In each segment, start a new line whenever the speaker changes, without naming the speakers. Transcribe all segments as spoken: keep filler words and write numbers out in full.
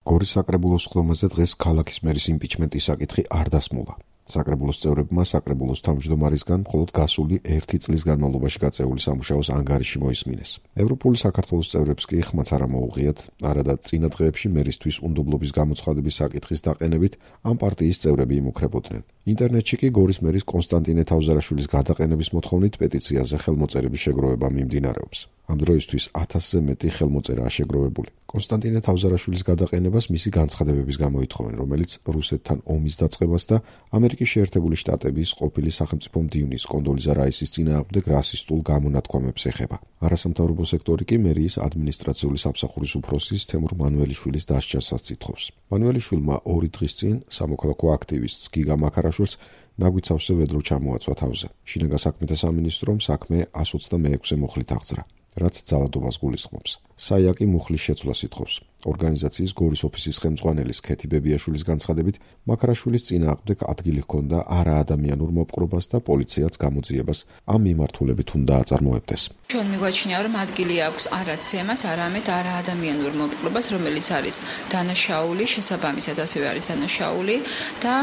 გორის საკრებულოს ხდომაზე დღეს ქალაქის მერის იმპიჩმენტის საკითხი არ დასმულა. საკრებულოს წევრებმა საკრებულოს თავმჯდომარისგან მხოლოდ გასული ერთი წლის განმავლობაში გაწეული სამუშაოს ანგარიში მოისმინეს. ევროპული საქართველოს წევრებს კი ხმაც არ მოუღიათ, არადა წინა დღეებში მერისთვის უნდობლობის გამოცხადების საკითხის დაყენებით ამ პარტიის წევრები იმუქრებოდნენ. ინტერნეტში კი გორის მერის კონსტანტინე თავზარაშვილის გადაყენების მოთხოვნით პეტიციაზე ხელმოწერების შეგროვება მიმდინარეობს. ამ დროისთვის ათასზე მეტი ხელმოწერაა შეგროვებული. კონსტანტინე თავზარაშვილის გადაყენებას მისი განცხადებების გამო ითხოვენ, რომელიც რუსეთთან ომის დაწყებას და ამერიკის შეერთებული შტატების ყოფილი სახელმწიფო მდივნის კონდოლიზა რაისის წინააღმდეგ რასისტულ გამონათქვამებს ეხება. არასამთავრობო სექტორი კი მერიის ადმინისტრაციული სამსახურის უფროსის თემურ მანუელიშვილის დასჯასაც ითხოვს. მანუელიშვილმა ორი დღის წინ სამოქალაქო აქტივისტს გიგა მაქარაშვილს ნაგვით სავსე ვედრო ჩამოაცვა თავზე. შინაგან საქმეთა სამინისტრომ საქმე εκατს ოცდამეექვსე მუხლით აღძრა, რაც ძალადობას გულისხმობს. საიაკი მუხლის შეცვლას ითხოვს. ორგანიზაციის გორის ოფისის ხელმძღვანელის ქეთი ბებიაშვილის განცხადებით, მაქარაშვილის წინააღმდეგ ადგილი ჰქონდა არაადამიანურ მოპყრობას და პოლიციაც გამოძიებას ამ მიმართულებით უნდა აწარმოებდეს.
ჩვენ მიგვაჩნია, რომ ადგილი აქვს არა ცემას, არამედ არაადამიანურ მოპყრობას, რომელიც არის დანაშაული, შესაბამისად ასევე არის დანაშაული და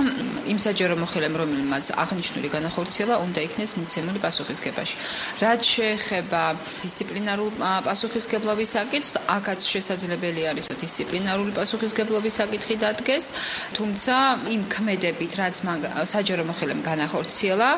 იმ საჯარო მოხელემ, რომელმაც აღნიშნული განახორციელა, უნდა იქნეს მიცემული პასუხისგებაში. რაც შეეხება დისციპლინარულ პასუხისგებლობის საკითხს, აქაც შესაძლებელი არის დისციპლინარული პასუხისგებლობის საკითხი დადგეს, თუმცა იმ ქმედებით, რაც მან საჯარო მოხელემ განახორციელა,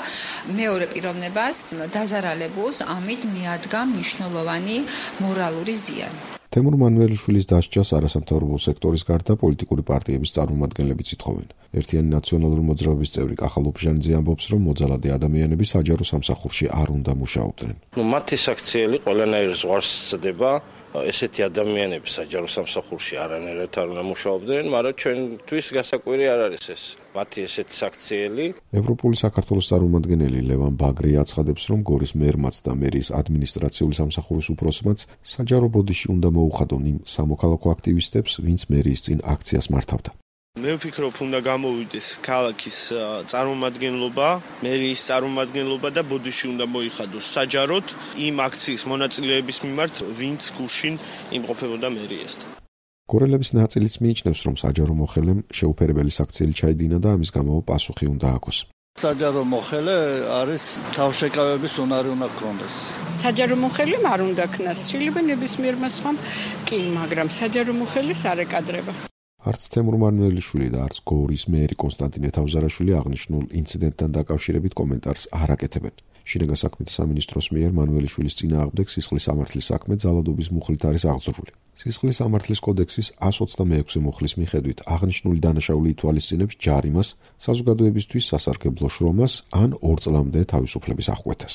მეორე პიროვნებას დაზარალებულს ამით მიადგა მნიშვნელოვანი მორალური ზიანი.
თემურ მანუელიშვილის დასჯას არასამთავრობო სექტორის გარდა პოლიტიკური პარტიების წარმომადგენლებიც ითხოვენ. ერთიანი ნაციონალური მოძრაობის წევრი კახალ ოფჟანიძე ამბობს, რომ მოძალადე ადამიანები საჯარო სამსახურში არ უნდა მუშაობდნენ.
ნუ მათი საქციელი ყველანაირ ზღვარს სცდება. ესეთი ადამიანები საჯარო სამსახურში არანაირად არ უნდა მუშაობდნენ, მაგრამ ჩვენთვის გასაკვირი არ არის ეს მათი ესეთი საქციელი.
ევროპული საქართველოს წარმომადგენელი ლევან ბაგრი აცხადებს, რომ გორის მერმაც და მერის ადმინისტრაციული სამსახურის უფროსმაც საჯარო ბოდიში უნდა მოუხადონ იმ სამოქალაქო აქტივისტებს, ვინც მერიის წინ აქციას მართავდა.
მე ვფიქრობ, უნდა გამოვიდეს ქალაქის წარმომადგენლობა, მერიის წარმომადგენლობა და ბოდიში უნდა მოიხადოს საჯაროდ იმ აქციის მონაწილეების მიმართ, ვინც გუშინ იმყოფებოდა მერიასთან.
გორელების ნაწილიც მიიჩნევს, რომ საჯარო მოხელემ შეუფერებელი საქციელი ჩაიდინა და ამის გამო პასუხი უნდა აქოს.
საჯარო მოხელე არის თავშეკავების უნარი უნდა ჰქონდეს.
საჯარო მოხელემ არ უნდა ქნას, შეიძლება ნებისმიერ მასხამ კი, მაგრამ საჯარო მოხელეს არ ეკადრება.
არც თემურ მანუელიშვილი და არც გორის მერი კონსტანტინე თავზარაშვილი აღნიშნულ ინციდენტთან დაკავშირებით კომენტარს არ აკეთებენ. შინაგან საქმეთა სამინისტროს მიერ მანუელიშვილის წინააღმდეგ სისხლის სამართლის საქმე ძალადობის მუხლით არის აღძრული. სისხლის სამართლის კოდექსის εκατს ოცდამეექვსე მუხლის მიხედვით აღნიშნული დანაშაული ითვალისწინებს ჯარიმას, საზოგადოებისთვის სასარგებლო შრომას ან ორ წლამდე თავისუფლების აღკვეთას.